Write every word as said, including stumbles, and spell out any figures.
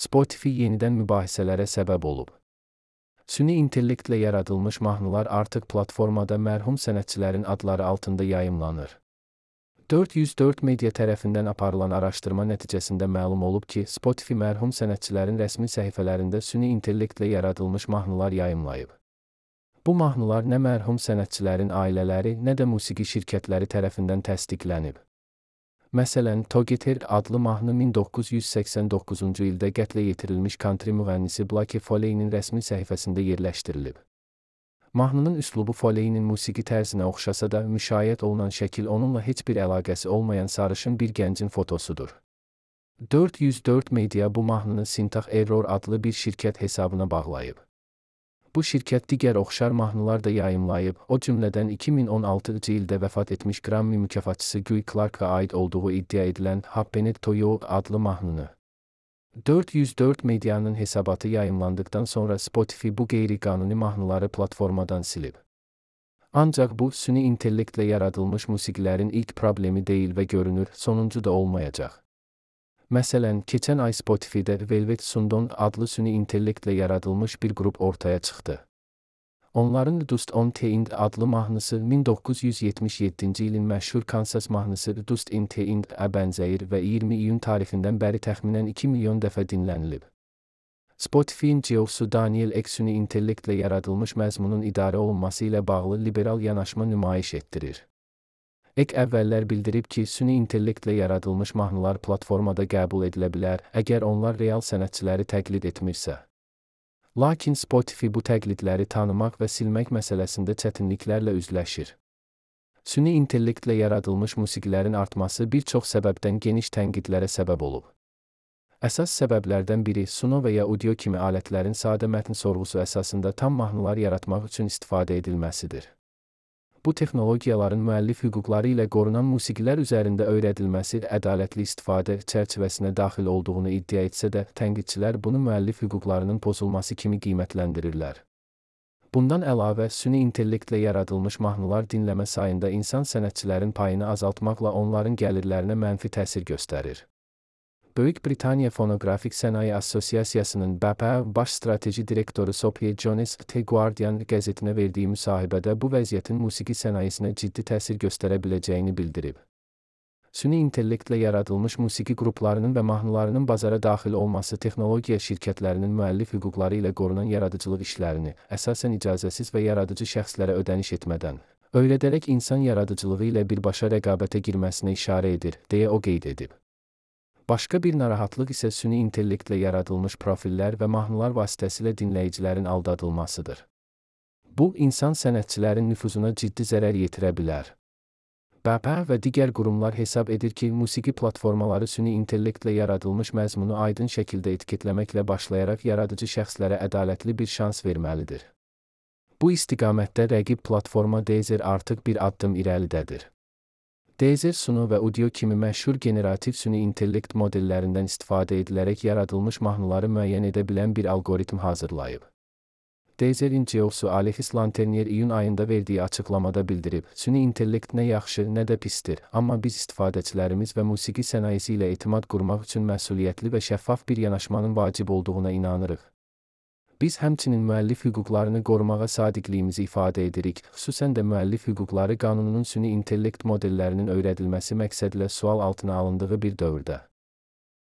Spotify yenidən mübahisələrə səbəb olub. Süni intellektlə yaradılmış mahnılar artıq platformada mərhum sənətçilərin adları altında yayımlanır. dörd yüz dörd media tərəfindən aparılan araşdırma nəticəsində məlum olub ki, Spotify mərhum sənətçilərin rəsmi səhifələrində süni intellektlə yaradılmış mahnılar yayımlayıb. Bu mahnılar nə mərhum sənətçilərin ailələri, nə də musiqi şirkətləri tərəfindən təsdiqlənib. Məsələn, Together adlı mahnı min doqquz yüz səksən doqquzuncu ildə qətlə yetirilmiş country müğənnisi Blake Foley'nin rəsmi səhifəsində yerləşdirilib. Mahnının üslubu Foley'nin musiqi tərzinə oxşasa da, müşayiət olunan şəkil onunla heç bir əlaqəsi olmayan sarışın bir gəncin fotosudur. dörd yüz dörd media bu mahnını Syntax Error adlı bir şirkət hesabına bağlayıb. Bu şirkət digər oxşar mahnılar da yayımlayıb, o cümlədən iki min on altıncı ildə vəfat etmiş Grammy mükafatçısı Guy Clark'a aid olduğu iddia edilən Happened to You adlı mahnını. dörd yüz dörd medianın hesabatı yayımlandıktan sonra Spotify bu qeyri-qanuni mahnıları platformadan silib. Ancaq bu, süni intellektlə yaradılmış musiqilərin ilk problemi deyil və görünür, sonuncu da olmayacaq. Məsələn, keçən ay Spotify'də Velvet Sundon adlı süni intellektlə yaradılmış bir qrup ortaya çıxdı. Onların Dust on the End adlı mahnısı min doqquz yüz yetmiş yeddinci ilin məşhur Kansas mahnısı Dust in the End-ə bənzəyir və iyirmi iyun tarixindən bəri təxminən iki milyon dəfə dinlənilib. Spotify'in C E O-su Daniel Ek süni intellektlə yaradılmış məzmunun idarə olunması ilə bağlı liberal yanaşma nümayiş etdirir. Ek əvvəllər bildirib ki, süni intellektlə yaradılmış mahnılar platformada qəbul edilə bilər, əgər onlar real sənətçiləri təqlid etmirsə. Lakin Spotify bu təqlidləri tanımaq və silmək məsələsində çətinliklərlə üzləşir. Süni intellektlə yaradılmış musiqilərin artması bir çox səbəbdən geniş tənqidlərə səbəb olub. Əsas səbəblərdən biri Suno və ya Udio kimi alətlərin sadə mətn sorğusu əsasında tam mahnılar yaratmaq üçün istifadə edilməsidir. Bu texnologiyaların müəllif hüquqları ilə qorunan musiqilər üzərində öyrədilməsi ədalətli istifadə çərçivəsinə daxil olduğunu iddia etsə də, tənqidçilər bunu müəllif hüquqlarının pozulması kimi qiymətləndirirlər. Bundan əlavə, süni intellektlə yaradılmış mahnılar dinləmə sayında insan sənətçilərin payını azaltmaqla onların gəlirlərinə mənfi təsir göstərir. Böyük Britaniya Fonoqrafik Sənaye Assosiasiyasının B P baş strateji direktoru Sophie Jones The Guardian qəzetinə verdiyi müsahibədə bu vəziyyətin musiqi sənayesinə ciddi təsir göstərə biləcəyini bildirib. Süni intellektlə yaradılmış musiqi qruplarının və mahnılarının bazara daxil olması texnologiya şirkətlərinin müəllif hüquqları ilə qorunan yaradıcılıq işlərini, əsasən icazəsiz və yaradıcı şəxslərə ödəniş etmədən, öyrədərək insan yaradıcılığı ilə birbaşa rəqabətə girməsinə işarə edir, deyə o qeyd edib. Başqa bir narahatlıq isə süni intellektlə yaradılmış profillər və mahnılar vasitəsilə dinləyicilərin aldadılmasıdır. Bu, insan sənətçilərin nüfuzuna ciddi zərər yetirə bilər. B P və digər qurumlar hesab edir ki, musiqi platformaları süni intellektlə yaradılmış məzmunu aydın şəkildə etiketləməklə başlayaraq yaradıcı şəxslərə ədalətli bir şans verməlidir. Bu istiqamətdə rəqib platforma Deezer artıq bir addım irəlidədir. Deezer Suno və Udio kimi məşhur generativ süni intellekt modellərindən istifadə edilərək yaradılmış mahnıları müəyyən edə bilən bir algoritm hazırlayıb. Deezer'in C E O-su Alexis Lanternier iyun ayında verdiyi açıqlamada bildirib, süni intellekt nə yaxşı, nə də pisdir, amma biz istifadəçilərimiz və musiqi sənayesi ilə etimad qurmaq üçün məsuliyyətli və şəffaf bir yanaşmanın vacib olduğuna inanırıq. Biz həmçinin müəllif hüquqlarını qorumağa sadiqliyimizi ifadə edirik, xüsusən də müəllif hüquqları qanununun süni intellekt modellərinin öyrədilməsi məqsədilə sual altına alındığı bir dövrdə.